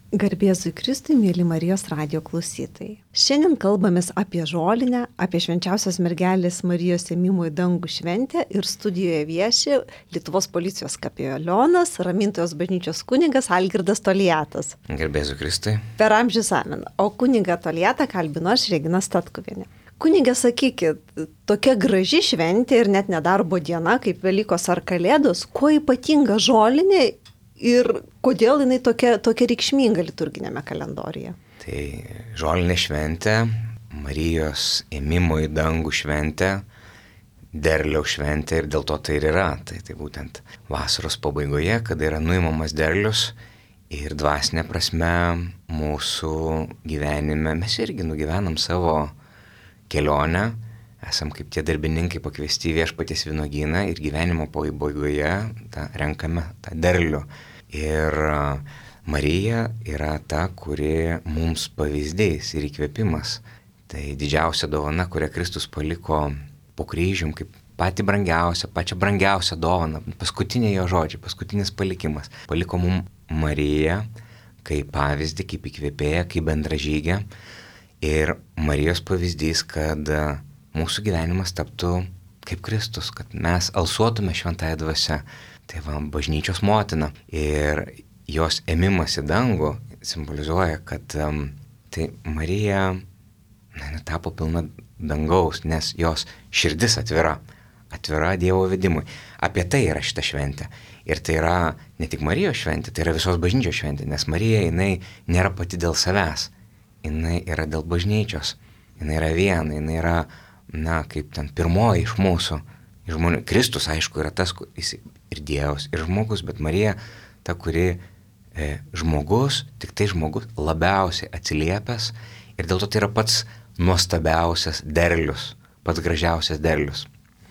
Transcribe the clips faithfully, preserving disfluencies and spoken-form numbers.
Garbėzui Kristui, mėly Marijos radijo klausytojai. Šiandien kalbamės apie žolinę, apie švenčiausios mergelės Marijos ėmimo į dangų šventę ir studijoje vieši Lietuvos policijos kapelionas, Ramintojos bažnyčios kunigas Algirdas Toliatas. Garbėzui Kristui. Per amžius amen. O kunigą Toliatą kalbino aš, Regina Statkuvienė. Kunigė, sakykit, tokia graži šventė ir net nedarbo diena kaip Velykos ar Kalėdos, kuo ypatinga žolinė ir kodėl jinai tokia, tokia reikšminga liturginėme kalendoriuje? Tai žolinė šventė, Marijos ėmimo į dangų šventė, derliaus šventė ir dėl to tai ir yra. Tai, tai būtent vasaros pabaigoje, kada yra nuimamas derlius ir dvasinė prasme mūsų gyvenime mes irgi nugyvenam savo kelionę, esam kaip tie darbininkai pakviesti į viešpaties vynuogyną ir gyvenimo pabaigoje tą renkame tą derlių. Ir Marija yra ta, kuri mums pavyzdys ir įkvėpimas. Tai didžiausia dovana, kurią Kristus paliko po kryžium, kaip pati brangiausia, pačia brangiausia dovana, paskutiniai jo žodžiai, paskutinis palikimas. Paliko mums Mariją kaip pavyzdį, kaip įkvėpėją, kaip bendražygę. Ir Marijos pavyzdys, kad mūsų gyvenimas taptų kaip Kristus, kad mes alsuotume šventąją dvasią. Tai va, bažnyčios motina. Ir jos ėmimas į dangų simbolizuoja, kad um, tai Marija na, tapo pilna dangaus, nes jos širdis atvira, atvira Dievo vedimui. Apie tai yra šita šventė. Ir tai yra ne tik Marijos šventė, tai yra visos bažnyčios šventė, nes Marija, jinai nėra pati dėl savęs, jinai yra dėl bažnyčios, jinai yra viena, jinai yra, na, kaip ten pirmoji iš mūsų žmonių. Kristus, aišku, yra tas, jis ir Dievas, ir žmogus, bet Marija, ta, kuri e, žmogus, tik tai žmogus labiausiai atsiliepęs ir dėl to tai yra pats nuostabiausias derlius, pats gražiausias derlius.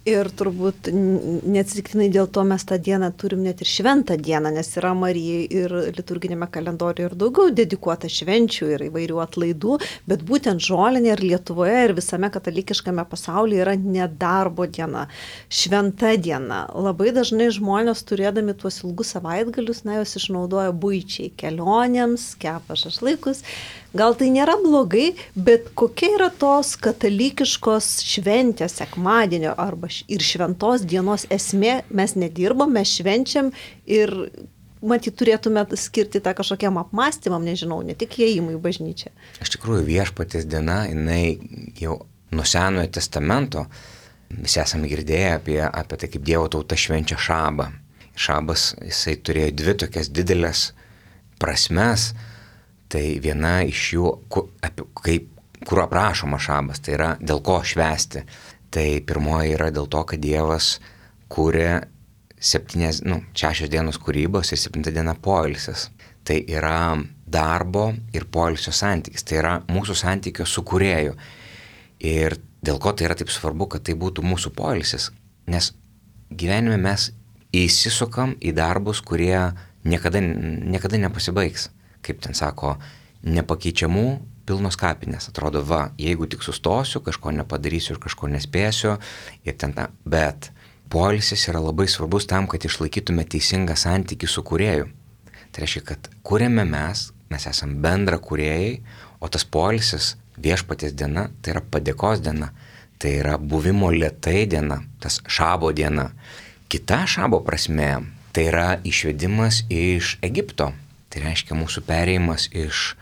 Ir turbūt neatsitiktinai dėl to mes tą dieną turim net ir šventą dieną, nes yra Marijai ir liturginėme kalendoriuje ir daugiau dedikuota švenčių ir įvairių atlaidų, bet būtent žolinė ir Lietuvoje ir visame katalikiškame pasaulyje yra nedarbo diena, šventa diena. Labai dažnai žmonės turėdami tuos ilgus savaitgalius, na, jos išnaudoja buičiai, kelionėms, kepa šašlykus. Gal tai nėra blogai, bet kokia yra tos katalikiškos šventės sekmadienio arba ir šventos dienos esmė? Mes nedirbam, mes švenčiam ir matyt turėtume skirti tą kažkokiam apmąstymam, nežinau, ne tik įėjimui į bažnyčią. Iš tikrųjų, viešpaties diena, jinai jau nuo Senojo testamento, visi esame girdėję apie, apie tai, kaip Dievo tauta švenčia šabą. Šabas, jisai turėjo dvi tokias didelės prasmes. Tai viena iš jų, kur, apie, kaip, kur aprašoma šabas, tai yra dėl ko švęsti. Tai pirmoji yra dėl to, kad Dievas kūrė septynės, nu, šešios dienos kūrybos ir septinta diena poilsis. Tai yra darbo ir poilsio santykis, tai yra mūsų santykio su kūrėju. Ir dėl ko tai yra taip svarbu, kad tai būtų mūsų poilsis, nes gyvenime mes įsisukam į darbus, kurie niekada, niekada nepasibaigs. Kaip ten sako, nepakeičiamų pilnos kapinės. Atrodo, va, jeigu tik sustosiu, kažko nepadarysiu ir kažko nespėsiu. Ir ten ta. Bet poilsis yra labai svarbus tam, kad išlaikytume teisingą santykį su kūrėju. Tai reiškia, kad kūrėme mes, mes esame bendra kūrėjai, o tas poilsis, viešpaties diena, tai yra padėkos diena. Tai yra buvimo lėtai diena, tas šabo diena. Kita šabo prasme, tai yra išvedimas iš Egipto. Tai reiškia mūsų perėjimas iš,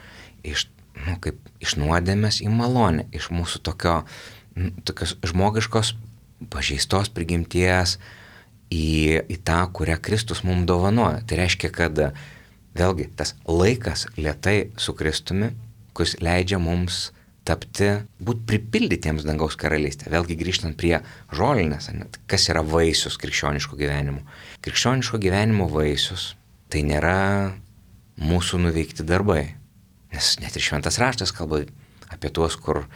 iš, nu, kaip, iš nuodėmės į malonę, iš mūsų tokio, nu, tokios žmogiškos pažeistos prigimties į, į tą, kurią Kristus mums dovanoja. Tai reiškia, kad vėlgi tas laikas lėtai su Kristumi, kuris leidžia mums tapti, būt pripildytiems dangaus karalystę. Vėlgi grįžtant prie žolinės, kas yra vaisius krikščioniško gyvenimo. Krikščioniško gyvenimo vaisius tai nėra mūsų nuveikti darbai. Nes net ir šventas raštas kalba apie tuos, kur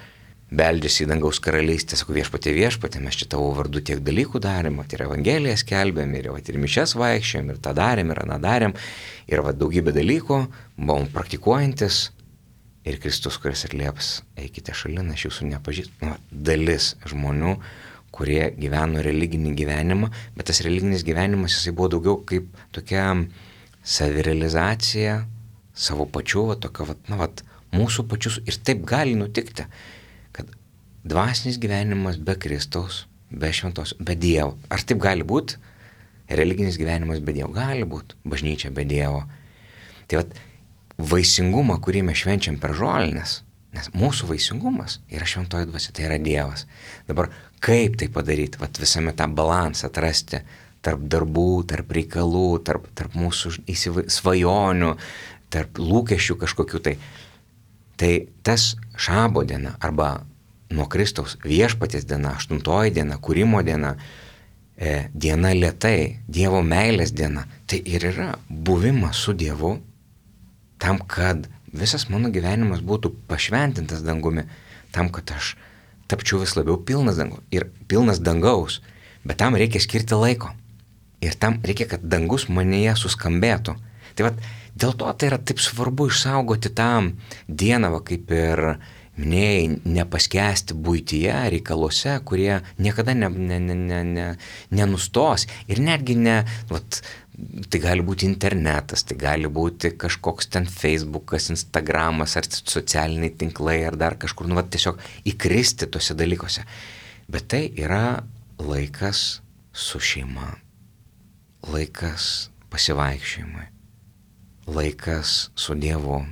beldžiasi į dangaus karalystę, sako viešpatie viešpatie, mes čia tavo vardu tiek dalykų darėm, ir evangeliją skelbėm, ir, ir mišias vaikščiojom, ir tą darėm, ir aną darėm, ir va, daugybė dalykų buvom praktikuojantis, ir Kristus, kuris atlieps, eikite šalin, aš jūsų nepažįstu. Nu, dalis žmonių, kurie gyveno religinį gyvenimą, bet tas religinis gyvenimas jisai buvo daugiau kaip tokia savirealizacija, savo pačių, va, tokio, va, na, va, mūsų pačius. Ir taip gali nutikti, kad dvasinis gyvenimas be Kristaus, be šventos, be Dievo. Ar taip gali būti? Religinis gyvenimas be Dievo gali būti, bažnyčia be Dievo. Tai va, vaisingumą, kurį mes švenčiam per žolinės, nes mūsų vaisingumas yra šventoji dvasia, tai yra Dievas. Dabar kaip tai padaryti, vat visame tą balansą atrasti tarp darbų, tarp reikalų, tarp, tarp mūsų įsiva... svajonių, tarp lūkesčių kažkokių tai. Tai tas šabo diena arba nuo Kristaus viešpaties diena, aštuntoji diena, kūrimo diena, e, diena lėtai, Dievo meilės diena, tai ir yra buvimas su Dievu tam, kad visas mano gyvenimas būtų pašventintas dangumi, tam, kad aš tapčiau vis labiau pilnas dangaus. Ir pilnas dangaus, bet tam reikia skirti laiko. Ir tam reikia, kad dangus manyje suskambėtų. Tai vat, dėl to tai yra taip svarbu išsaugoti tą dieną, va, kaip ir minėjai, nepaskesti buityje, reikaluose, kurie niekada ne, ne, ne, ne, ne, nenustos. Ir netgi ne, vat, tai gali būti internetas, tai gali būti kažkoks ten Facebookas, Instagramas, ar socialiniai tinklai, ar dar kažkur, nu, vat, tiesiog įkristi tuose dalykuose. Bet tai yra laikas su šeima, laikas pasivaikščiojimui, laikas su Dievu.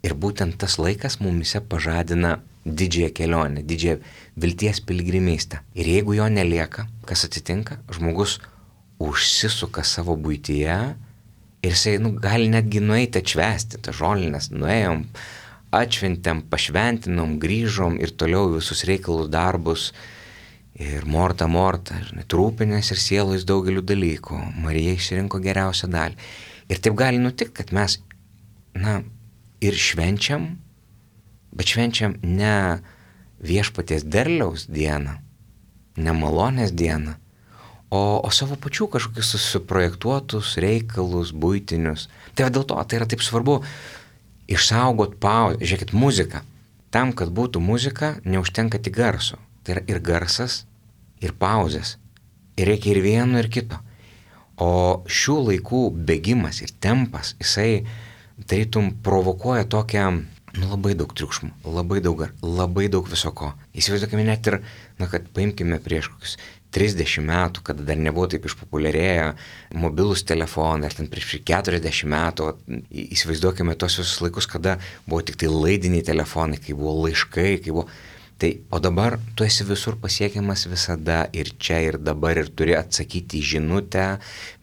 Ir būtent tas laikas mumise pažadina didžiąją kelionę, didžiąją vilties piligrimystę. Ir jeigu jo nelieka, kas atsitinka? Žmogus užsisuka savo buityje ir jisai, nu, gali netgi nueiti atšvęsti tą žolinės. Nuėjom, atšventėm, pašventinom, grįžom ir toliau visus reikalus, darbus. Ir morta, morta, žinai, trūpinės ir sielos daugeliu dalykų. Marija išsirinko geriausią dalį. Ir taip gali nutikti, kad mes, na, ir švenčiam, bet švenčiam ne viešpaties derliaus dieną, ne malonės dieną, o, o savo pačių kažkokius susiprojektuotus reikalus, buitinius. Tai dėl to tai yra taip svarbu išsaugot pauzę. Žiūrėkit, muzika. Tam, kad būtų muzika, neužtenka tik garso. Tai yra ir garsas, ir pauzės. Ir reikia ir vieno, ir kito. O šių laikų bėgimas ir tempas, jisai tarytum provokuoja tokią, nu, labai daug triukšmų, labai daug, labai daug visoko. Įsivaizduokime net ir, na, kad paimkime prieš kokius trisdešimt metų, kada dar nebuvo taip išpopuliarėję mobilūs telefonai, ar ten prieš keturiasdešimt metų, įsivaizduokime tos visus laikus, kada buvo tik tai laidiniai telefonai, kai buvo laiškai, kai buvo... Tai, o dabar tu esi visur pasiekiamas visada ir čia ir dabar ir turi atsakyti į žinutę,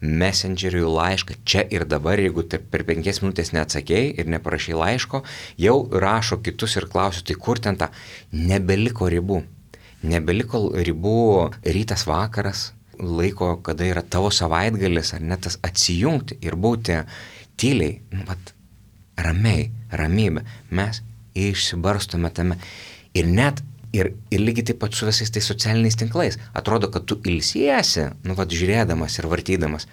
messengeriui laišką, čia ir dabar, jeigu per penkias minutės neatsakėjai ir neparašai laiško, jau rašo kitus ir klausiu, tai kur ten ta, nebeliko ribų. Nebeliko ribų rytas vakaras, laiko, kada yra tavo savaitgalis, ar net tas atsijungti ir būti tyliai, nu, vat, ramiai, ramybė. Mes išsibarstome tame. Ir net, ir, ir lygiai taip pat su visais tais socialiniais tinklais. Atrodo, kad tu ilsiesi, nu, vat, žiūrėdamas ir vartydamas.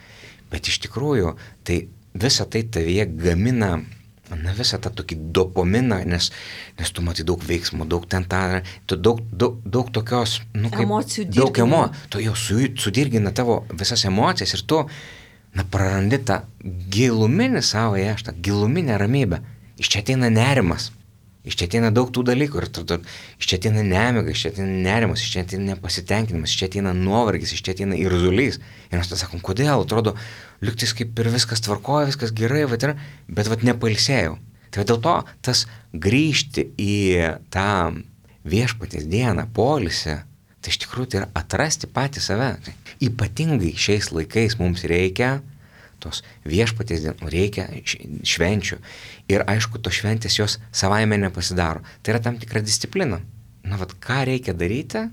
Bet iš tikrųjų, tai visa tai tavyje gamina, na, visą tą tokį dopaminą, nes, nes tu matai daug veiksmų, daug ten tą, tu daug, daug, daug tokios, nu, kaip... Emocijų dirgina. Daug emocijų. Tu jau su, sudirgina tavo visas emocijas ir tu, na, prarandi tą giluminį savo ještą, giluminę ramybę. Iš čia ateina nerimas. Iš čia ateina daug tų dalykų, ir tada, iš čia ateina nemiga, iš čia ateina nerimas, iš čia ateina nepasitenkinimas, iš čia ateina nuovargis, iš čia ateina irzulys. Ir mes tada sakom, kodėl, atrodo, lygtais kaip ir viskas tvarkoja, viskas gerai, bet, bet vat nepailsėjau. Tai dėl to tas grįžti į tą viešpaties dieną, poilsį, tai iš tikrųjų tai yra atrasti patį save. Tai ypatingai šiais laikais mums reikia tos viešpaties dienų, reikia švenčių. Ir aišku, tos šventės jos savaime nepasidaro. Tai yra tam tikra disciplina. Na, vat, ką reikia daryti,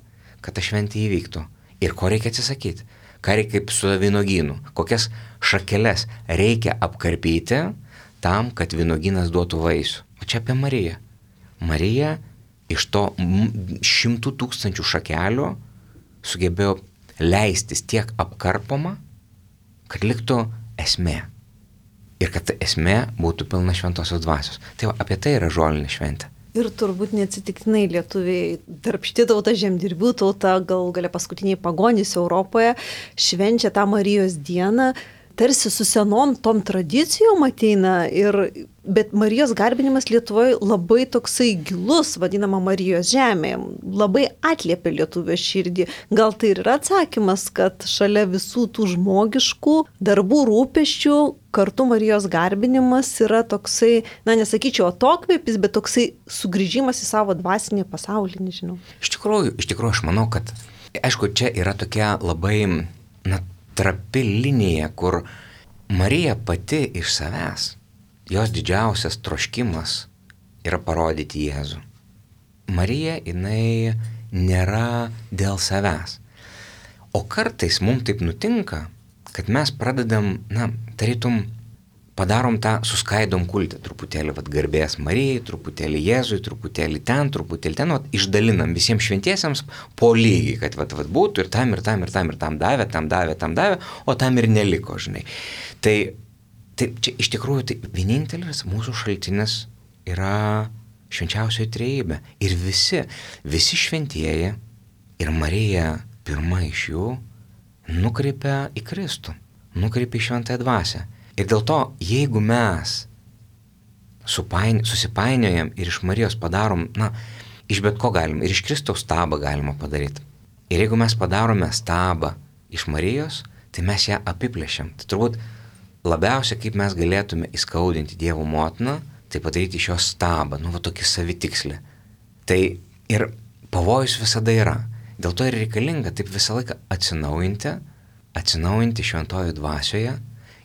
kad ta šventė įvyktų? Ir ko reikia atsisakyti? Ką reikia kaip su vynogynu? Kokias šakeles reikia apkarpyti tam, kad vynogynas duotų vaisių? O čia apie Mariją. Marija iš to šimtų tūkstančių šakelių sugebėjo leistis tiek apkarpoma, kad liktų esmė. Ir kad ta esmė būtų pilna šventosios dvasios. Tai va, apie tai yra žolinė šventė. Ir turbūt neatsitiktinai lietuviai, darbšti tauta, žemdirbių tauta, gal galia paskutiniai pagonys Europoje, švenčia tą Marijos dieną, tarsi su senom tom tradicijom ateina, ir, bet Marijos garbinimas Lietuvoje labai toksai gilus, vadinama Marijos žemė, labai atliepia lietuvio širdį. Gal tai ir yra atsakymas, kad šalia visų tų žmogiškų darbų rūpesčių kartu Marijos garbinimas yra toksai, na nesakyčiau atokvėpis, bet toksai sugrįžimas į savo dvasinį pasaulį, nežinau. Iš tikrųjų, iš tikrųjų aš manau, kad, aišku, čia yra tokia labai, na, trapi linija, kur Marija pati iš savęs, jos didžiausias troškimas yra parodyti Jėzų. Marija, jinai nėra dėl savęs. O kartais mums taip nutinka, kad mes pradedam, na, tarytum, padarom tą, suskaidom kultą truputėlį, vat, garbės Marijai, truputėlį Jėzui, truputėlį ten, truputėlį ten, vat, išdalinam visiems šventiesiems po lygiai, kad vat, vat, būtų ir tam, ir tam, ir tam, ir tam davė, tam davė, tam davė, o tam ir neliko, žinai. Tai, tai čia iš tikrųjų tai vienintelis mūsų šaltinis yra švenčiausioji trejybė. Ir visi, visi šventieji ir Marija pirma iš jų nukreipia į Kristų, nukreipia į šventąją dvasią. Ir dėl to, jeigu mes supaini, susipainiojam ir iš Marijos padarom, na, iš bet ko galim, ir iš Kristaus stabą galima padaryti. Ir jeigu mes padarome stabą iš Marijos, tai mes ją apiplėšiam. Tai turbūt labiausiai, kaip mes galėtume įskaudinti Dievo motiną, tai padaryti iš jos stabą, nu, va tokį savitikslį. Tai ir pavojus visada yra. Dėl to ir reikalinga taip visą laiką atsinaujinti, atsinaujinti šventojo dvasioje,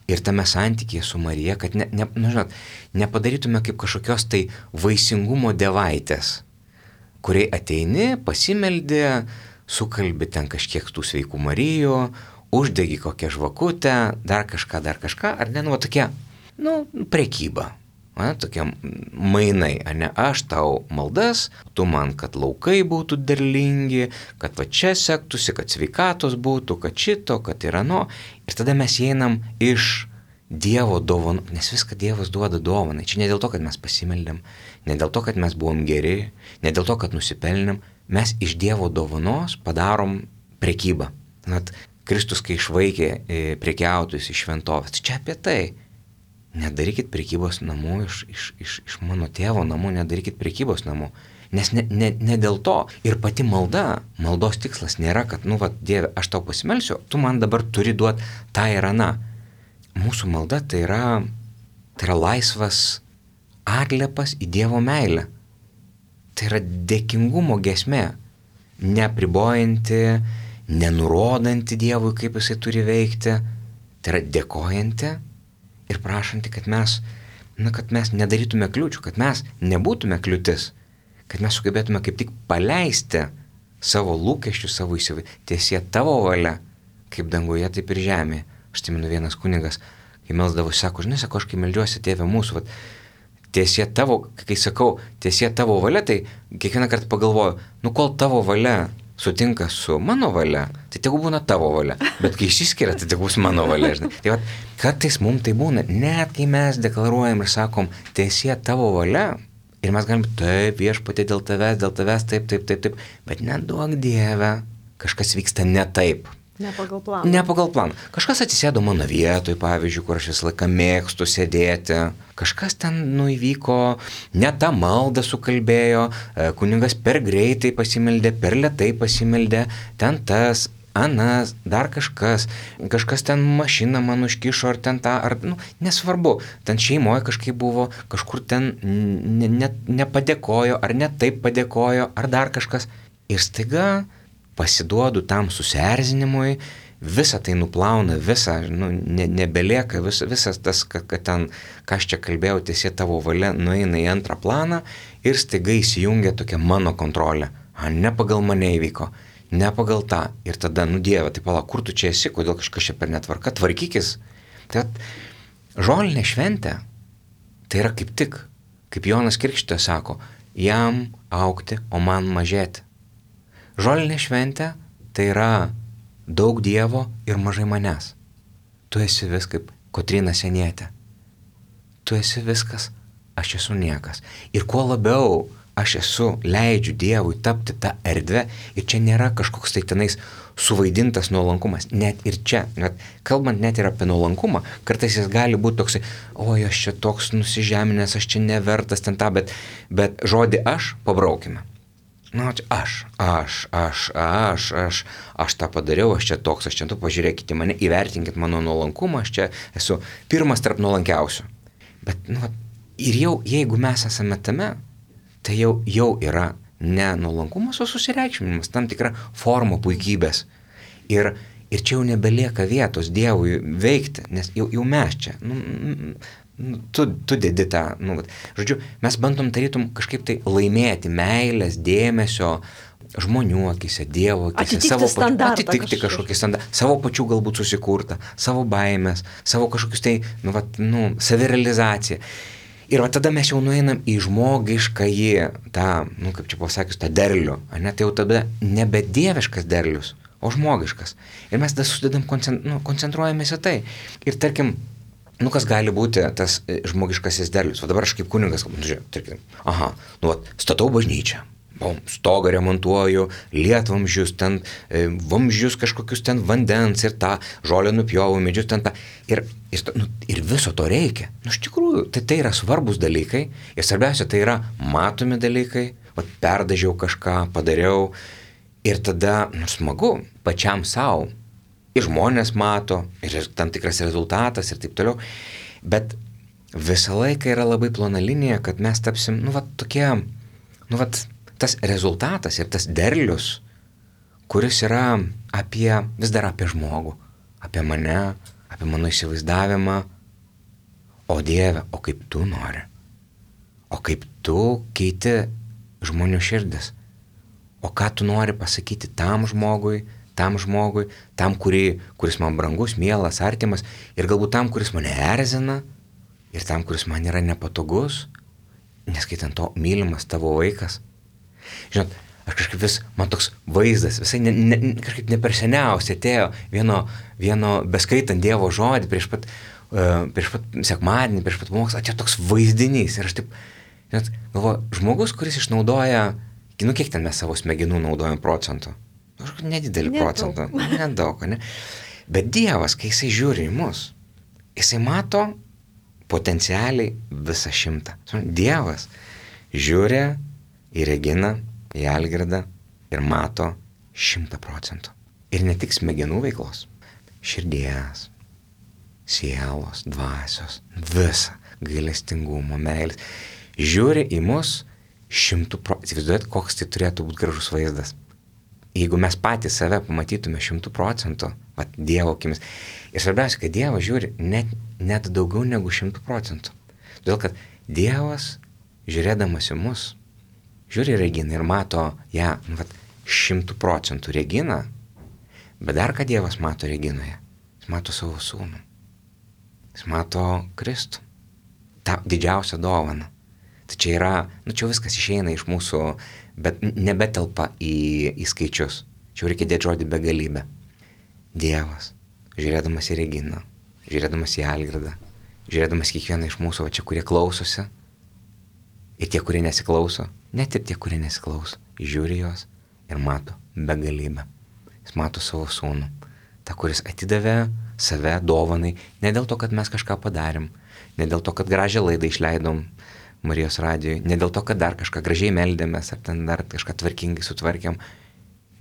ir tame santykyje su Marija, kad ne, ne, nu, žinot, nepadarytume kaip kažkokios tai vaisingumo devaitės, kuriai ateini, pasimeldi, sukalbi ten kažkiek tų sveikų Marijų, uždegi kokią žvakutę, dar kažką, dar kažką, ar ne, nu, tokia, nu, prekyba, ne, tokie mainai, ar ne, aš tau maldas, tu man, kad laukai būtų derlingi, kad va čia sektųsi, kad sveikatos būtų, kad šito, kad yra no. Ir tada mes einam iš Dievo dovanų, nes viską Dievas duoda dovanai. Čia ne dėl to, kad mes pasimeldėm, ne dėl to, kad mes buvom geri, ne dėl to, kad nusipelnėm, mes iš Dievo dovanos padarom prekybą. Net Kristus, kai išvaikė prekiautojus iš šventovės, tai čia apie tai. Nedarykit prekybos namų iš, iš, iš, iš mano tėvo namų, nedarykit prekybos namų. Nes ne, ne, ne dėl to. Ir pati malda, maldos tikslas nėra, kad, nu, va, Dieve, aš tau pasimelsiu, tu man dabar turi duoti tą ir aną. Mūsų malda tai yra, tai yra laisvas atliepas į Dievo meilę. Tai yra dėkingumo giesmė, neapribojanti, nenurodanti Dievui, kaip jisai turi veikti. Tai yra dėkojanti ir prašanti, kad mes, na, kad mes nedarytume kliūčių, kad mes nebūtume kliūtis, kad mes sugebėtume kaip tik paleisti savo lūkesčius, savo įsivaizdavimą. Tiesie tavo valia, kaip danguje, taip ir žemėje. Aš atsimenu, vienas kunigas, kai melsdavosi, sako, žinai, sako, aš kai meldžiuosi Tėve mūsų, vat, tiesie tavo, kai sakau, tiesie tavo valia, tai kiekvieną kartą pagalvoju, nu kol tavo valia sutinka su mano valia, tai tegu būna tavo valia, bet kai išsiskiria, tai tegu bus mano valia, žinai. Tai vat, kartais mums tai būna, net kai mes deklaruojam ir sakom, tiesie tavo valia, ir mes galim, taip, viešpatie dėl tavęs, dėl tavęs, taip, taip, taip, taip, bet neduok Dieve, kažkas vyksta ne taip. Ne pagal planą. Ne pagal planą. Kažkas atsisėdo mano vietoj, pavyzdžiui, kur aš visą laiką mėgstu sėdėti. Kažkas ten nuvyko, ne tą maldą sukalbėjo, kunigas per greitai pasimeldė, per lėtai pasimeldė, ten tas, anas, dar kažkas, kažkas ten mašiną man užkišo, ar ten tą, ar, nu, nesvarbu, ten šeimoje kažkaip buvo, kažkur ten ne, ne, nepadėkojo, ar ne taip padėkojo, ar dar kažkas. Ir staiga pasiduodu tam susierzinimui, visą tai nuplauna, visą, nu, ne, nebelieka, vis, visas tas, kad, kad ten, ką aš čia kalbėjau, tiesie tavo valia, nueina į antrą planą ir staiga įsijungia tokia mano kontrolė. A, ne pagal mane įvyko, ne pagal tą. Ir tada, nu Dieve, tai pala, kur tu čia esi, kodėl kažkas čia per netvarka, tvarkykis. Tai žolinė šventė, tai yra kaip tik, kaip Jonas Krikštytojas sako, jam augti, o man mažėti. Žolinė šventė tai yra daug Dievo ir mažai manęs. Tu esi vis kaip Kotryna Senietė. Tu esi viskas, aš esu niekas. Ir kuo labiau aš esu, leidžiu Dievui tapti tą erdvę ir čia nėra kažkoks tai tenais suvaidintas nuolankumas. Net ir čia, net, kalbant net ir apie nuolankumą, kartais jis gali būti toksai, oi, aš čia toks nusižeminęs, aš čia nevertas ten tą, bet, bet žodį aš pabraukime. Na, aš, aš, aš, aš, aš, aš tą padariau, aš čia toks, aš čia tu pažiūrėkite mane, įvertinkit mano nuolankumą, aš čia esu pirmas tarp nuolankiausių. Bet, nu, ir jau, jeigu mes esame tame, tai jau, jau yra ne nuolankumas, o susireikšminimas, tam tikra forma puikybės. Ir, ir čia jau nebelieka vietos Dievui veikti, nes jau, jau mes čia. Nu, nu, tu, tu dedi tą. Nu, žodžiu, mes bandom tarytum kažkaip tai laimėti meilės, dėmesio, žmonių akise, Dievo akise, atitikti savo standartą, pačių, atitikti kažkokį standartą, savo pačių galbūt susikurtą, savo baimės, savo kažkokius tai, nu, vat, nu, savirealizaciją. Ir va tada mes jau nueinam į žmogiškąjį, tą, nu kaip čia pasakius, tą derlių, ne, tai jau tada nebe dieviškas derlius, o žmogiškas. Ir mes tada sudedam, koncent, nu, koncentruojamės į tai. Ir tarkim, nu kas gali būti tas žmogiškasis derlius. Va dabar aš kaip kunigas, nu, žiūrėjau, tarkim, aha, nu, va, statau bažnyčią. Bom, stogą remontuoju, lietvamzdžius, ten e, vamzdžius kažkokius ten vandens ir tą žolę nupjovu, medžius ten tą. Ir, ir, nu, ir viso to reikia. Nu, iš tikrųjų, tai, tai yra svarbus dalykai ir svarbiausia, tai yra matomi dalykai. Va, perdažiau kažką, padariau ir tada, nu, smagu, pačiam savo. Ir žmonės mato, ir tam tikras rezultatas ir taip toliau. Bet visą laiką yra labai plona linija, kad mes tapsim, nu, va, tokie, nu, va, tas rezultatas ir tas derlius, kuris yra apie, vis dar apie žmogų, apie mane, apie mano įsivaizdavimą, o Dieve, o kaip tu nori, o kaip tu keiti žmonių širdis, o ką tu nori pasakyti tam žmogui, tam žmogui, tam, kurį, kuris man brangus, mielas, artimas, ir galbūt tam, kuris mane erzina, ir tam, kuris man yra nepatogus, neskaitant to mylimas tavo vaikas. Žinot, aš kažkaip vis, man toks vaizdas, visai ne, ne, kažkaip ne per seniausiai atėjo vieno, vieno beskaitant Dievo žodį prieš pat, uh, prieš pat sekmadienį, prieš pat pamokslą, atėjo toks vaizdinys. Ir aš taip, žinot, galvoju, žmogus, kuris išnaudoja, nu kiek ten mes savo smegenų naudojam procentų? Kažkokį nedidelį Nedaug. procentą, nedaug, ne? Bet Dievas, kai jisai žiūri į mus, jisai mato potencialiai visą šimtą. Dievas žiūri į Reginą, į Algirdą ir mato šimtą procentų. Ir ne tik smegenų veiklos, širdies, sielos, dvasios, visą gailestingumo, meilės. Žiūri į mus šimtų procentų. Įsivaizduojat, koks tai turėtų būti gražus vaizdas. Jeigu mes patys save pamatytume šimtų procentų, vat Dievo akimis. Ir svarbiausia, kad Dievas žiūri net, net daugiau negu šimtų procentų. Todėl, kad Dievas, žiūrėdamas į mus, žiūri Reginą ir mato ją, nu, vat, šimtų procentų Reginą, bet dar ką Dievas mato Reginoje, jis mato savo sūnų, jis mato Kristų, tą didžiausią dovaną. Tai čia yra, nu čia viskas išeina iš mūsų, bet nebetelpa į, į skaičius, čia reikia dėti žodį begalybę. Dievas, žiūrėdamas į Reginą, žiūrėdamas į Algirdą, žiūrėdamas kiekvieną iš mūsų, va čia, kurie klausosi, ir tie, kurie nesiklauso, net ir tie, kurie nesiklauso, žiūri jos ir mato begalybę. Jis mato savo sūnų, tą, kuris atidavė save dovanai, ne dėl to, kad mes kažką padarėm, ne dėl to, kad gražią laidą išleidom Marijos radijoj, ne dėl to, kad dar kažką gražiai meldėmės, ar ten dar kažką tvarkingai sutvarkėm.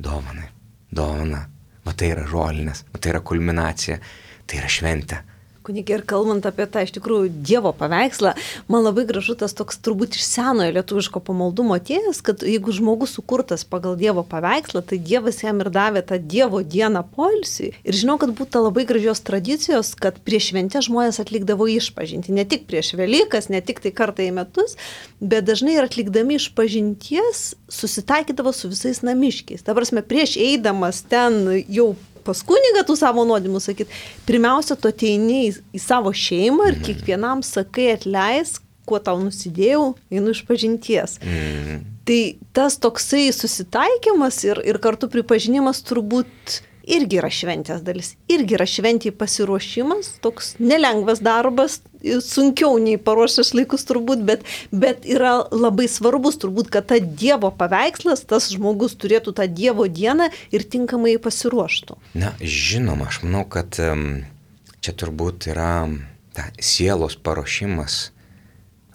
Dovanai, dovana, va tai yra žolinės, va tai yra kulminacija, tai yra šventė. Kunigė, ir kalbant apie tą iš tikrųjų Dievo paveikslą, man labai gražu tas toks turbūt iš senojo lietuviško pamaldumo atėjęs, kad jeigu žmogus sukurtas pagal Dievo paveikslą, tai Dievas jam ir davė tą Dievo dieną poilsiui. Ir žinau, kad būtų labai gražios tradicijos, kad prieš šventę žmonės atlikdavo išpažintį. Ne tik prieš Velykas, ne tik tai kartą į metus, bet dažnai ir atlikdami išpažinties susitaikydavo su visais namiškiais. Ta prasme, prieš eidamas ten jau pas kunigą tų savo nuodėmų sakyt, pirmiausia, tu ateini į, į savo šeimą ir kiekvienam sakai atleis, kuo tau nusidėjau, einu iš pažinties. Mm. Tai tas toksai susitaikymas ir, ir kartu pripažinimas turbūt irgi yra šventės dalis, irgi yra šventė pasiruošimas, toks nelengvas darbas, sunkiau nei paruošęs laikus turbūt, bet, bet yra labai svarbus turbūt, kad ta Dievo paveikslas, tas žmogus turėtų tą Dievo dieną ir tinkamai pasiruoštų. Na, žinoma, aš manau, kad čia turbūt yra ta sielos paruošimas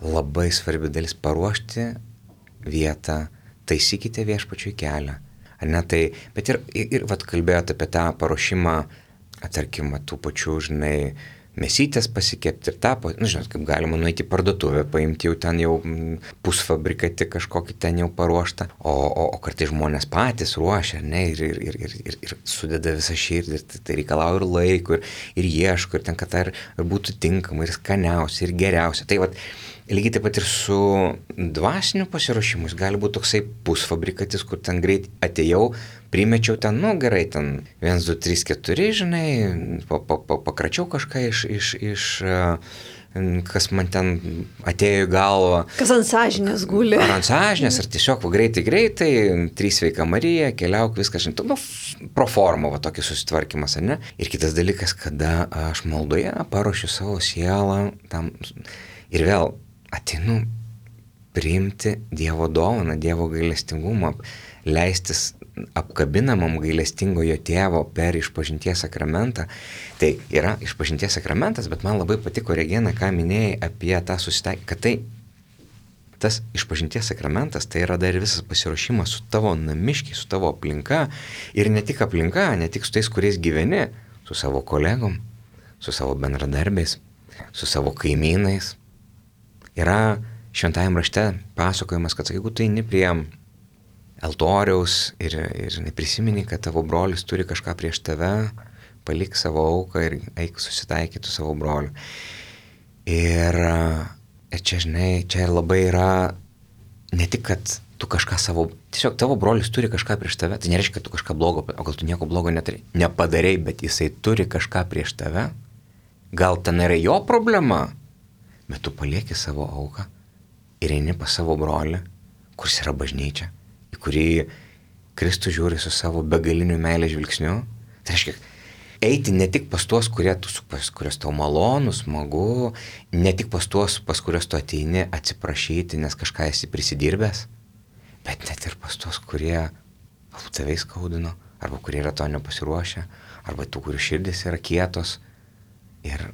labai svarbi dalis paruošti vietą, taisykite Viešpačiui kelią. Ar ne, tai, bet ir, ir, ir vat, kalbėjote apie tą paruošimą, tarkim, tų pačių, žinai, mėsytės pasikepti ir tą, nu, žinot, kaip galima nueiti į parduotuvę, paimti jau ten jau pusfabrikatį kažkokį ten jau paruoštą, o, o, o kartai žmonės patys ruošia, ne, ir, ir, ir, ir, ir, ir sudeda visą širdį, ir tai, tai reikalauja ir laiko, ir, ir ieško, ir ten, kad tai ir, ir būtų tinkama, ir skaniausia, ir geriausia. Tai vat, lygiai taip pat ir su dvasiniu pasiruošimu, jis gali būti toksai pusfabrikatis, kur ten greit atėjau, primečiau ten, nu gerai, ten vienas, du, trys, keturi, žinai, pa, pa, pa, pakračiau kažką iš, iš, iš, kas man ten atėjo į galvą. Kas ant sąžinės guli. Ar ant sąžinės, ar tiesiog va, greitai, greitai, trys sveika Marija, keliauk, viskas, žinai, nu, pro formą, va, tokį susitvarkymas, ar ne? Ir kitas dalykas, kada aš maldoje paruošiu savo sielą tam, ir vėl ateinu priimti Dievo dovaną, Dievo gailestingumą, leistis apkabinamam gailestingojo tėvo per išpažinties sakramentą. Tai yra išpažinties sakramentas, bet man labai patiko, Regina, ką minėjai apie tą susitaikymą, kad tai tas išpažinties sakramentas, tai yra dar visas pasiruošimas su tavo namiškiai, su tavo aplinka, ir ne tik aplinka, ne tik su tais, kuriais gyveni, su savo kolegom, su savo bendradarbiais, su savo kaimynais. Yra šventajame rašte pasakojimas, kad jeigu tu eini prie altoriaus ir, ir neprisimeni, kad tavo brolis turi kažką prieš tave, palik savo auką ir eik susitaikyti su savo broliu. Ir, ir čia, žinai, čia ir labai yra ne tik, kad tu kažką savo, tiesiog tavo brolis turi kažką prieš tave, tai nereiškia, kad tu kažką blogo, o gal tu nieko blogo neturi, nepadarei, bet jisai turi kažką prieš tave, gal ten yra jo problema, bet tu palieki savo auką ir eini pas savo brolį, kuris yra bažnyčia, į kurį Kristus žiūri su savo begaliniu meilės žvilgsniu. Tai reiškia, eiti ne tik pas tuos, kurie tu, pas kurios tau malonu, smagu, ne tik pas tuos, pas kurios tu ateini atsiprašyti, nes kažką esi prisidirbęs, bet net ir pas tuos, kurie galbūt tave skaudino, arba kurie yra to nepasiruošę, arba tų, kurių širdis yra kietos. Ir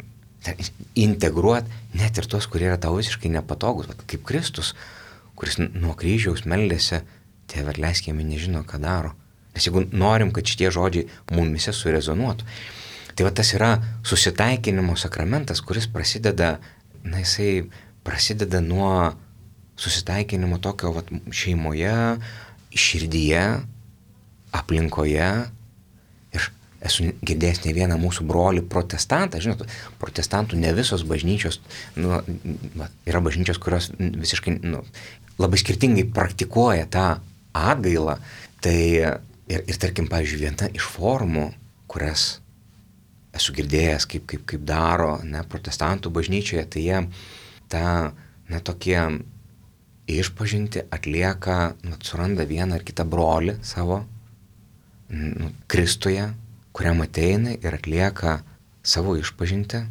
integruoti net ir tos, kurie yra tau visiškai nepatogus, kaip Kristus, kuris nuo kryžiaus meldėsi, Tėve atleisk, jie nežino, ką daro. Nes jeigu norim, kad šitie žodžiai mumise surezonuotų. Tai va tas yra susitaikinimo sakramentas, kuris prasideda, na jisai prasideda nuo susitaikinimo tokio va, šeimoje, širdyje, aplinkoje. Ir esu girdėjęs ne vieną mūsų brolį protestantą, žinot, protestantų ne visos bažnyčios, nu, yra bažnyčios, kurios visiškai, nu, labai skirtingai praktikuoja tą atgailą. Tai ir, ir tarkim, pavyzdžiui, viena iš formų, kurias esu girdėjęs, kaip, kaip, kaip daro, ne, protestantų bažnyčioje, tai jie tą, na, tokie išpažinti atlieka, nu, suranda vieną ar kitą brolį savo, nu, Kristuje, kuriam ateina ir atlieka savo išpažintį,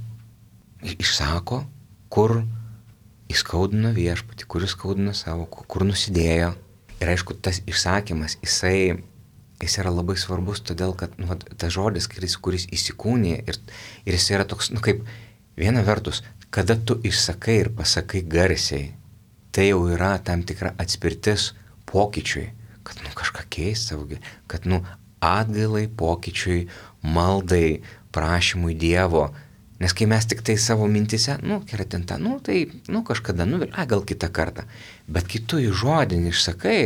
išsako, kur įskaudino viešpatį, kur įskaudino savo, kur nusidėjo. Ir aišku, tas išsakymas, jisai, jis yra labai svarbus, todėl kad, nu, tas žodis, kuris, kuris įsikūnė ir, ir jis yra toks, nu, kaip viena vertus, kada tu išsakai ir pasakai garsiai, tai jau yra tam tikra atspirtis pokyčiui, kad, nu, kažką keist savo, kad, nu, atgailai, pokyčiui, maldai, prašymui Dievo. Nes kai mes tik tai savo mintise, nu, keratintą, nu, tai, nu, kažkada, nu, a, gal kitą kartą. Bet kai tu į žodinį išsakai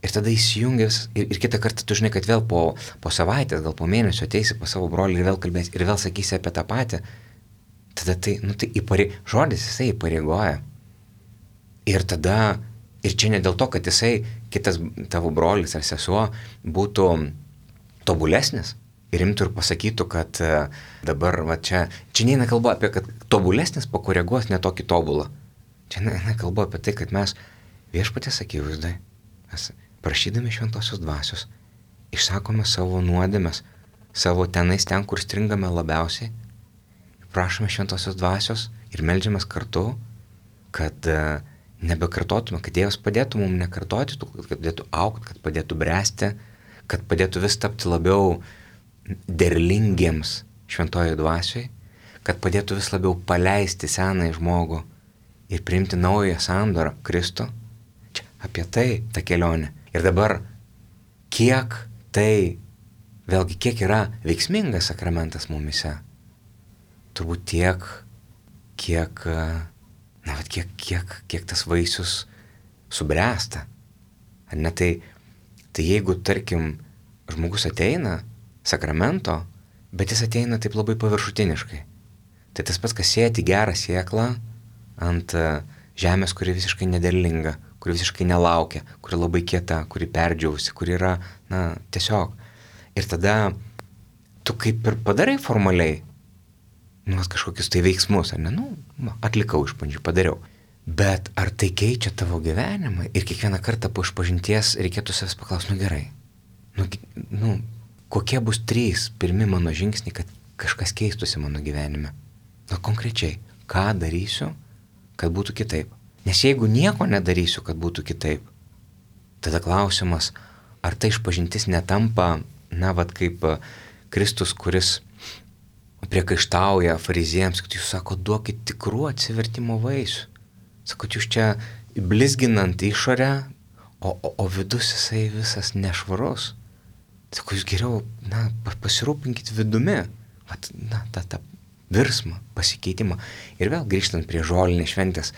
ir tada įsijungęs ir, ir kitą kartą tu žinai, kad vėl po, po savaitės, gal po mėnesio ateisi pas savo brolį ir vėl kalbėsi ir vėl sakysi apie tą patį, tada tai, nu, tai įparei, žodis jisai įpareigoja. Ir tada, ir čia ne dėl to, kad jisai, kitas tavo brolis ar sesuo būtų tobulesnis, ir imtų ir pasakytų, kad dabar, va, čia, čia neina kalba apie, kad tobulesnis pakoreguos netokį tobulą. Čia neina kalba apie tai, kad mes viešpaties akivaizdai, mes prašydami šventosios dvasios, išsakome savo nuodėmes, savo tenais ten, kur stringame labiausiai, prašome šventosios dvasios ir meldžiamės kartu, kad uh, nebekartotume, kad Dievas padėtų mums nekartoti, kad padėtų augti, kad padėtų bręsti, kad padėtų vis tapti labiau derlingiems šventojoje dvasioje, kad padėtų vis labiau paleisti senąjį žmogų ir priimti naują sandorą Kristų. Čia apie tai ta kelionė. Ir dabar, kiek tai, vėlgi, kiek yra veiksmingas sakramentas mumise, turbūt tiek, kiek, na, bet kiek, kiek, kiek tas vaisius subręsta. Ar ne tai, tai jeigu, tarkim, žmogus ateina sakramento, bet jis ateina taip labai paviršutiniškai. Tai tas pats, kas sėti gerą sėklą ant žemės, kuri visiškai nederlinga, kuri visiškai nelaukia, kuri labai kieta, kuri perdžiausi, kuri yra, na, tiesiog. Ir tada tu kaip ir padarai formaliai, nu, kažkokius tai veiksmus, ar ne, nu, atlikau išpažinčių, padariau. Bet ar tai keičia tavo gyvenimą? Ir kiekvieną kartą po išpažinties reikėtų savęs paklausti, nu gerai, nu, nu, kokie bus trys pirmi mano žingsniai, kad kažkas keistųsi mano gyvenime? Na, konkrečiai, ką darysiu, kad būtų kitaip? Nes jeigu nieko nedarysiu, kad būtų kitaip, tada klausimas, ar tai išpažintis netampa, na, vat kaip Kristus, kuris priekaištauja fariziejams, kad jūs sako, duokit tikrų atsivertimo vaisių. Sakot, jūs čia blizginant išorę, o, o, o vidus jisai visas nešvarus. Sako, jūs geriau, na, pasirūpinkit vidumi, vat, na, tą, tą virsmą, pasikeitimą. Ir vėl grįžtant prie žolinės šventės.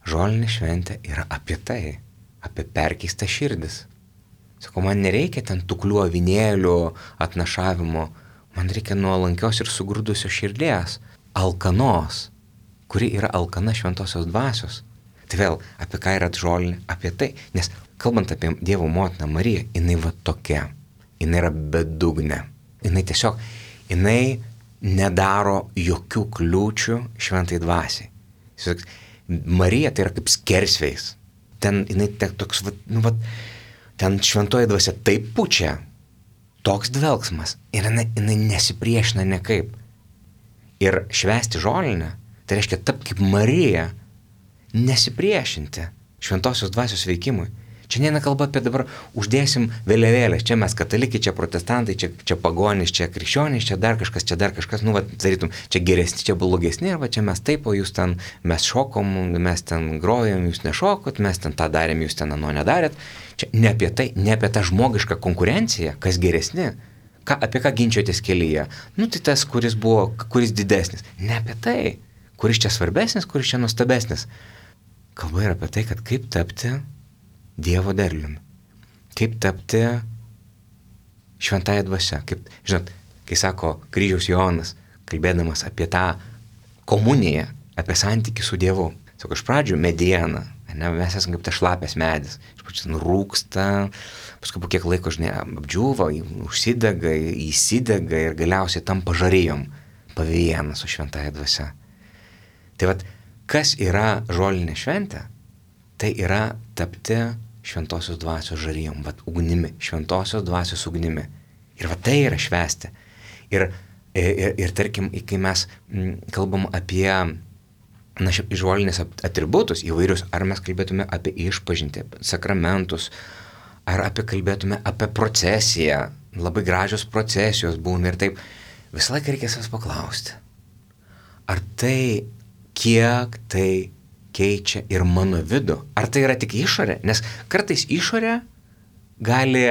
Žolinė šventė yra apie tai, apie perkeistą širdis. Sako, man nereikia ten tuklių avinėlių atnašavimo, man reikia nuolankios ir sugrūdusios širdies, alkanos, kuri yra alkana šventosios dvasios. Tai vėl, apie ką yra žolinė? Apie tai, nes kalbant apie Dievo motiną Mariją, jinai va tokia, jinai yra bedugnė, jinai tiesiog, jinai nedaro jokių kliūčių šventai dvasiai. Marija tai yra kaip skersvėjis, ten jinai toks, nu va, ten šventoji dvasia taip pučia, toks dvelgsmas, ir jinai, jinai nesipriešina nekaip. Ir švęsti žolinę, tai reiškia tapti kaip Marija, nesipriešinti šventosios dvasios veikimui. Čia neina kalba apie dabar uždėsim vėliavėlės, čia mes katalikai, čia protestantai, čia, čia pagonys, čia krikščionys, čia dar kažkas, čia dar kažkas, nu, va, darytum, čia geresni, čia blogesni, arba čia mes taip, o jūs ten, mes šokom, mes ten grojom, jūs nešokot, mes ten tą darėm, jūs ten ano nedarėt. Čia ne apie tai, ne apie tą žmogišką konkurenciją, kas geresni, ką, apie ką ginčiotės kelyje. Nu, tai tas, kuris buvo, kuris didesnis. Ne apie tai, kuris čia svarbesnis, kuris čia nuostabesnis. Kalba yra apie tai, kad kaip tapti Dievo derliumi. Kaip tapti šventąją dvasią. Kaip, žinot, kai sako kryžiaus Jonas, kalbėdamas apie tą komuniją, apie santykį su Dievu. Sako, iš pradžių mediena, ne, mes esame kaip tas šlapės medis. Iš pradžių nurūksta, paskui po kiek laiko, žinai, apdžiūva, užsidega, įsidega ir galiausiai tampa žarijom, pavienas su šventąją dvasią. Tai vat, kas yra žolinė šventė? Tai yra tapti šventosios dvasios žarijom, vat ugnimi, šventosios dvasios ugnimi. Ir va tai yra švęsti. Ir, ir, ir tarkim, kai mes kalbam apie na, žolinės atributus įvairius, ar mes kalbėtume apie išpažintį, sakramentus, ar apie kalbėtume apie procesiją, labai gražios procesijos būna ir taip, visą laiką reikia savęs paklausti. Ar tai, kiek tai keičia ir mano vidų? Ar tai yra tik išorė? Nes kartais išorė gali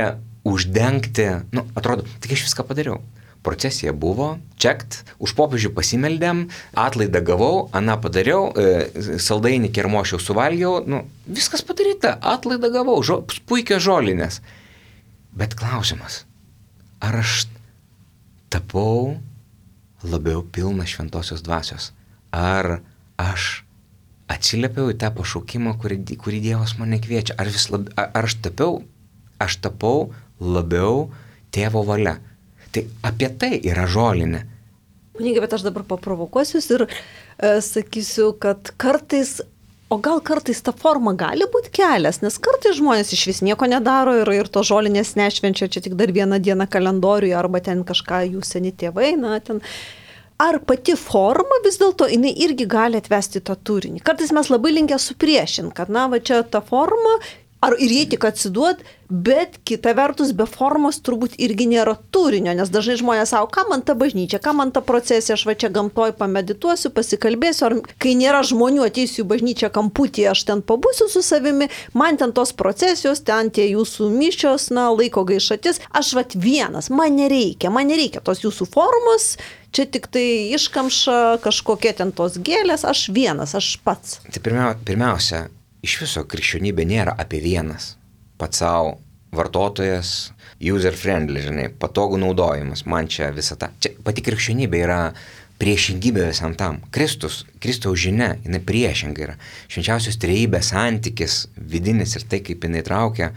uždengti, nu, atrodo, tik aš viską padariau. Procesija buvo, čekt, už popiežių pasimeldėm, atlaidą gavau, aną padariau, e, saldainį kermošiau suvalgiau, nu, viskas padaryta, atlaidą gavau, žo, puikios žolinės. Bet klausimas, ar aš tapau labiau pilna šventosios dvasios? Ar aš atsiliepiau į tą pašaukimą, kurį, kurį Dievas mane kviečia? Ar, vis lab, ar aš tapiau, aš tapau labiau tėvo valia? Tai apie tai yra žolinė. Kunigai, bet aš dabar paprovokuosiu ir e, sakysiu, kad kartais O gal kartais ta forma gali būti kelias, nes kartais žmonės iš vis nieko nedaro ir, ir to žolinės nešvenčia čia tik dar vieną dieną kalendoriuje arba ten kažką jų seni tėvai, na ten. Ar pati forma vis dėlto, jinai irgi gali atvesti tą turinį? Kartais mes labai linkę supriešinti, kad na va čia ta forma, ar ir jie tik atsiduot, bet kita vertus be formos turbūt irgi nėra turinio, nes dažnai žmonės sako, ką man ta bažnyčia, ką man ta procesija, aš va čia gamtoj pamedituosiu, pasikalbėsiu, ar kai nėra žmonių ateisiu į bažnyčią kamputį, aš ten pabūsiu su savimi, man ten tos procesijos, ten tie jūsų mišios, na, laiko gaišatis, aš va vienas, man nereikia, man nereikia tos jūsų formos, čia tik tai iškamša, kažkokie ten tos gėlės, aš vienas, aš pats. Tai pirmia, pirmiausia, iš viso krikščionybė nėra apie vienas, pats savo vartotojas, user friendly, žinai, patogų naudojimas, man čia visą tą. Čia pati krikščionybė yra priešingybė visam tam. Kristus, Kristaus žinia, jinai priešingai yra. Švenčiausios trejybės santykis, vidinis ir tai, kaip jinai traukia,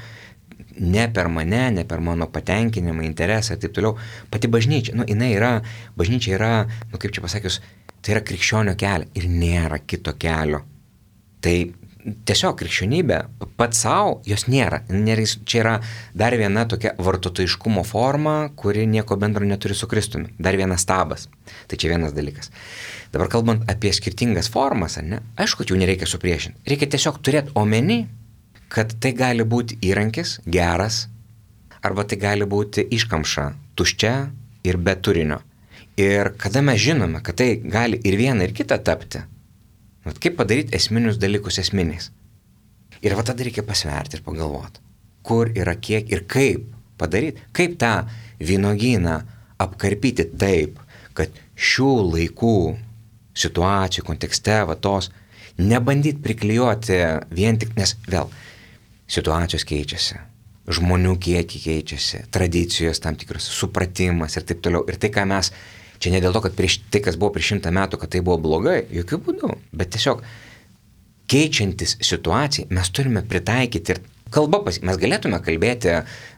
ne per mane, ne per mano patenkinimą, interesą ir taip toliau. Pati bažnyčia, nu, jinai yra, bažnyčia yra, nu, kaip čia pasakius, tai yra krikščionio kelio ir nėra kito kelio. Tai tiesiog krikščionybė pats savo, jos nėra. Čia yra dar viena tokia vartotojiškumo forma, kuri nieko bendro neturi su Kristumi. Dar vienas stabas. Tai čia vienas dalykas. Dabar kalbant apie skirtingas formas, ne? Aišku, jų nereikia supriešinti. Reikia tiesiog turėti omeny, kad tai gali būti įrankis, geras, arba tai gali būti iškamša, tuščia ir be turinio. Ir kada mes žinome, kad tai gali ir viena, ir kita tapti, vat kaip padaryti esminius dalykus esminiais. Ir va tada reikia pasverti ir pagalvoti, kur yra kiek ir kaip padaryti, kaip tą vynuogyną apkarpyti taip, kad šių laikų situacijų kontekste va tos nebandyti priklijuoti vien tik, nes vėl situacijos keičiasi, žmonių kiekiai keičiasi, tradicijos tam tikros, supratimas ir taip toliau. Ir tai, ką mes čia ne dėl to, kad prieš tai, kas buvo prieš šimtą metų, kad tai buvo blogai, jokių būdų, bet tiesiog keičiantis situacijai mes turime pritaikyti ir kalba, pas... mes galėtume kalbėti,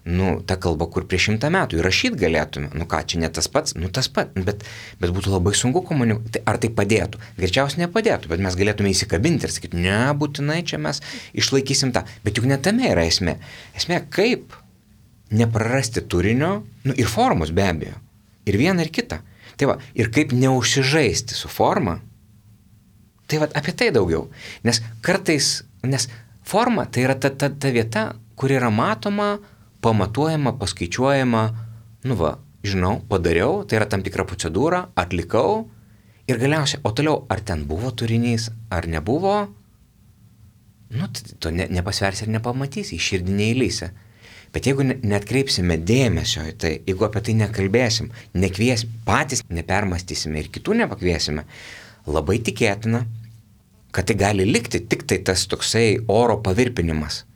nu, tą kalbą, kur prieš šimtą metų ir rašyti galėtume, nu ką, čia ne tas pats, nu tas pats, bet, bet būtų labai sunku komunikuoti, ar tai padėtų, greičiausiai nepadėtų, bet mes galėtume įsikabinti ir sakyti, ne, būtinai čia mes išlaikysim tą, bet juk ne tame yra esmė, esmė kaip neprarasti turinio, nu ir formos be abejo, ir viena ir kita. Tai va, ir kaip neužsižaisti su forma, tai va, apie tai daugiau. Nes kartais, nes forma tai yra ta, ta, ta vieta, kur yra matoma, pamatuojama, paskaičiuojama, nu va, žinau, padariau, tai yra tam tikra procedūra, atlikau ir galiausiai, o toliau, ar ten buvo turinys, ar nebuvo, nu, to ne, nepasversi ir nepamatysi, į širdį neįlysi. Bet jeigu neatkreipsime dėmesio į tai, jeigu apie tai nekalbėsim, nekviesim, patys nepermastysime ir kitų nepakviesime, labai tikėtina, kad tai gali likti tik tai tas toksai oro pavirpinimas.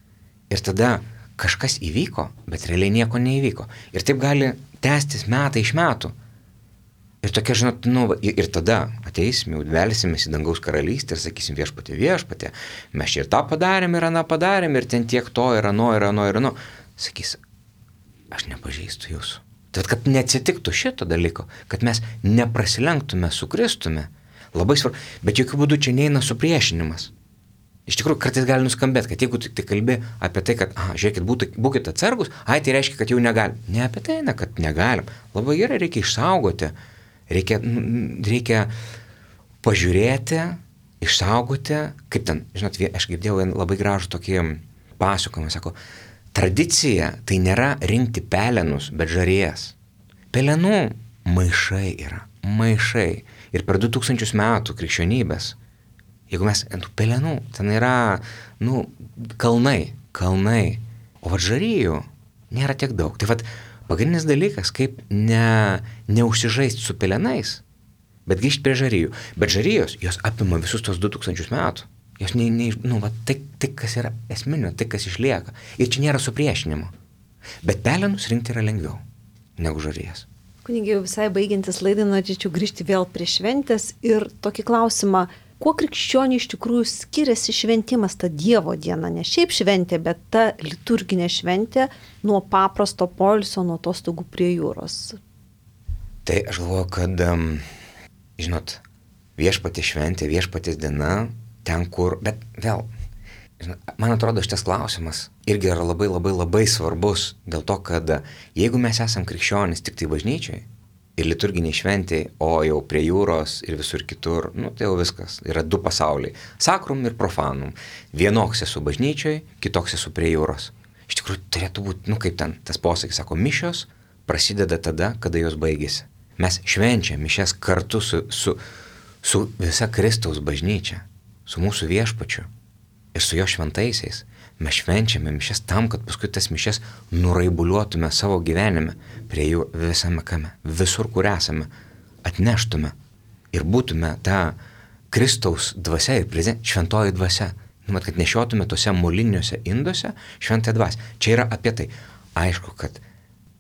Ir tada kažkas įvyko, bet realiai nieko neįvyko. Ir taip gali tęstis metai iš metų. Ir tokia, žinot, nu, ir, ir tada ateisim, jau velsimės į dangaus karalystę ir sakysim viešpatie, viešpatie, mes čia ir tą padarėm, ir aną padarėm, ir ten tiek to, ir ano, ir ano, ir ano. Sakys, aš nepažįstu jūsų. Tad, kad neatsitiktų šito dalyko, kad mes neprasilenktume su Kristumi, labai svarbu, bet jokių būdų čia neina supriešinimas. Iš tikrųjų, kartais gali nuskambėti, kad jeigu tik tai kalbi apie tai, kad, aha, žiūrėkit, būtų, būkite atsargus, ai, tai reiškia, kad jau negalim. Ne apie tai, ne, kad negalim. Labai gerai, reikia išsaugoti, reikia, reikia pažiūrėti, išsaugoti, kaip ten, žinot, aš girdėjau labai gražų tokį pasakojimą, sako, tradicija tai nėra rinkti pelenus, bet žarijas. Pelenų maišai yra, maišai. Ir per du tūkstančius metų krikščionybės, jeigu mes ant pelenų, ten yra, nu, kalnai, kalnai, o vat žarijų nėra tiek daug. Tai vat pagrindinis dalykas, kaip ne, neužsižaisti su pelenais, bet grįžti prie žarijų. Bet žarijos, jos apima visus tos du tūkstančius metų. Jos ne, ne, nu, va, tai, tai, kas yra esminio, tai, kas išlieka. Ir čia nėra supriešinimo. Bet pelenus rinkti yra lengviau negu žarijas. Kunigai, jau visai baigiantis laidai, norėčiau grįžti vėl prie šventės ir tokį klausimą, kuo krikščioniui iš tikrųjų skiriasi šventimas, ta Dievo diena, ne šiaip šventė, bet ta liturginė šventė nuo paprasto poilsio, nuo atostogų prie jūros? Tai aš galvoju, kad, um, žinot, viešpatės šventė, viešpatės diena ten, kur, bet vėl, man atrodo, šitas klausimas irgi yra labai labai labai svarbus dėl to, kad jeigu mes esam krikščionys tik tai bažnyčiai ir liturginiai šventiai, o jau prie jūros ir visur kitur, nu tai jau viskas, yra du pasauliai, sakrum ir profanum. Vienoks esu bažnyčiai, kitoks esu prie jūros. Iš tikrųjų turėtų būti, nu kaip ten, tas posakis sako, mišios prasideda tada, kada jos baigėsi. Mes švenčiam mišias kartu su, su, su visa Kristaus bažnyčia, su mūsų viešpačiu ir su jo šventaisiais. Mes švenčiame mišias tam, kad paskui tas mišias nuraibuliuotume savo gyvenime, prie jų visame kame, visur, kur esame, atneštume ir būtume ta Kristaus dvasia ir prezent, šventoji dvasia. Nu, mat, kad nešiotume tose moliniuose induose šventąją dvasią. Čia yra apie tai. Aišku, kad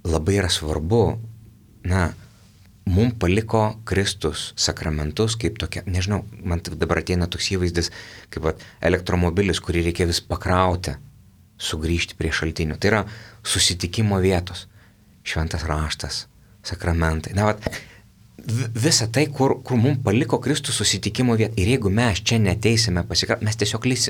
labai yra svarbu, na, mums paliko Kristus sakramentus kaip tokia, nežinau, man dabar ateina toks įvaizdis, kaip vat, elektromobilis, kurį reikia vis pakrauti, sugrįžti prie šaltinių. Tai yra susitikimo vietos, šventas raštas, sakramentai. Na, vat, visa tai, kur, kur mums paliko Kristus susitikimo vietą. Ir jeigu mes čia neteisime pasikrauti, mes tiesiog lys,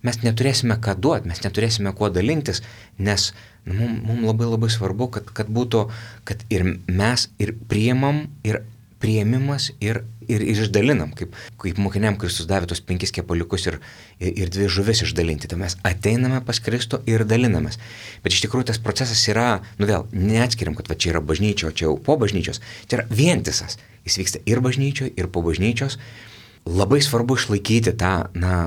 mes neturėsime ką duoti, mes neturėsime kuo dalintis, nes nu, mums, mums labai labai svarbu, kad, kad būtų, kad ir mes ir priimam, ir priėmimas, ir, ir, ir išdalinam. Kaip, kaip mokiniam Kristus davė tos penkis kepaliukus ir, ir, ir dvi žuvis išdalinti. Tai mes ateiname pas Kristų ir dalinamės. Bet iš tikrųjų tas procesas yra, nu vėl, neatskiriam, kad va, čia yra bažnyčia, o čia jau po bažnyčios. Tai yra vientisas. Jis vyksta ir bažnyčioje, ir po bažnyčios. Labai svarbu išlaikyti tą, na,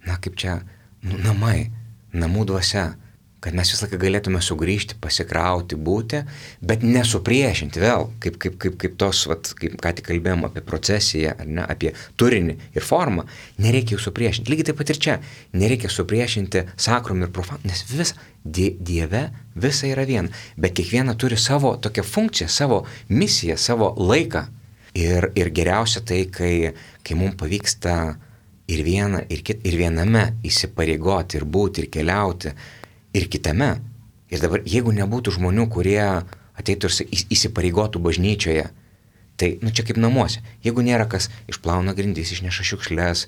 na kaip čia, nu, namai, namų dvasia, kad mes visą laiką galėtume sugrįžti, pasikrauti, būti, bet nesupriešinti vėl, kaip, kaip, kaip, kaip tos, vat, kaip ką tik kalbėjom apie procesiją, ar ne, apie turinį ir formą, nereikia jų supriešinti. Lygiai taip pat ir čia, nereikia supriešinti sakrum ir profanum, nes visa, die, Dieve visa yra viena, bet kiekviena turi savo tokią funkciją, savo misiją, savo laiką. Ir, ir geriausia tai, kai, kai mums pavyksta ir vieną, ir, kit, ir viename įsipareigoti, ir būti, ir keliauti, ir kitame. Ir dabar, jeigu nebūtų žmonių, kurie ateitų ir įsipareigotų bažnyčioje, tai, nu, čia kaip namuose. Jeigu nėra kas išplauna grindis, išneša šiukšles,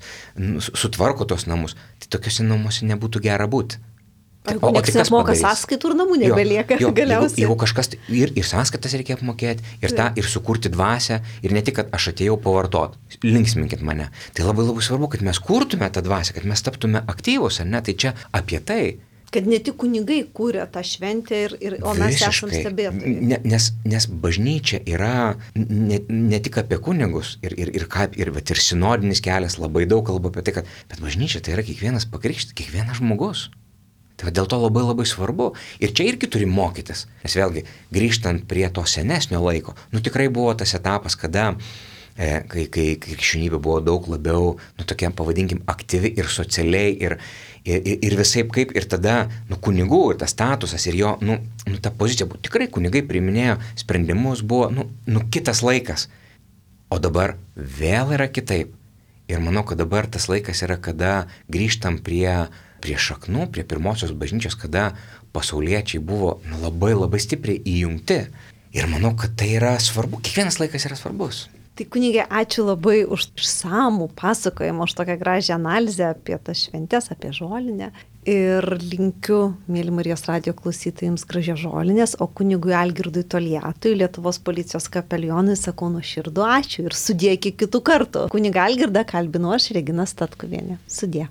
sutvarko tos namus, tai tokiuose namuose nebūtų gera būti. O, o tai kas moka sąskaitų ir namų nebelieka jo, jo, galiausiai. Jeigu, jeigu kažkas, ir, ir sąskaitas reikia apmokėti, ir tą, ir sukurti dvasią, ir ne tik, kad aš atėjau pavartot, linksminkit mane. Tai labai labai svarbu, kad mes kurtume tą dvasią, kad mes taptume aktyvus, ar ne? Tai čia apie tai. Kad ne tik kunigai kūrė tą šventę, ir, ir, o mes Visiškai. esam stebėtojai. Ne, nes, nes bažnyčia yra ne, ne tik apie kunigus, ir, ir, ir, kaip, ir, ir sinodinis kelias labai daug kalba apie tai, kad bet bažnyčia tai yra kiekvienas pakrikštytas, kiekvienas žmogus. Tai dėl to labai labai svarbu. Ir čia irgi turim mokytis. Nes vėlgi, grįžtant prie to senesnio laiko, nu tikrai buvo tas etapas, kada e, kai, kai krikščionybė buvo daug labiau, nu tokia, pavadinkim, aktyvi ir socialiai, ir, ir, ir visaip kaip, ir tada, nu, kunigų, ir tas statusas, ir jo, nu, nu ta pozicija buvo, tikrai kunigai priiminėjo sprendimus, buvo, nu, nu, kitas laikas. O dabar vėl yra kitaip. Ir manau, kad dabar tas laikas yra, kada grįžtam prie prie šaknų, prie pirmosios bažnyčios, kada pasauliečiai buvo nu, labai labai stipriai įjungti. Ir manau, kad tai yra svarbu. Kiekvienas laikas yra svarbus. Tai kunigė, ačiū labai už išsamų pasakojimą, už tokią gražią analizę apie tas šventes, apie žolinę. Ir linkiu, mėly Marijos radijo klausytojams, gražios žolinės, o kunigui Algirdui Toliatui, Lietuvos policijos kapelionui, sakau nuoširdų ačiū ir sudie iki kitų kartų. Kunigą Algirdą kalbinu aš, Regina Statkuvienė. Sudie.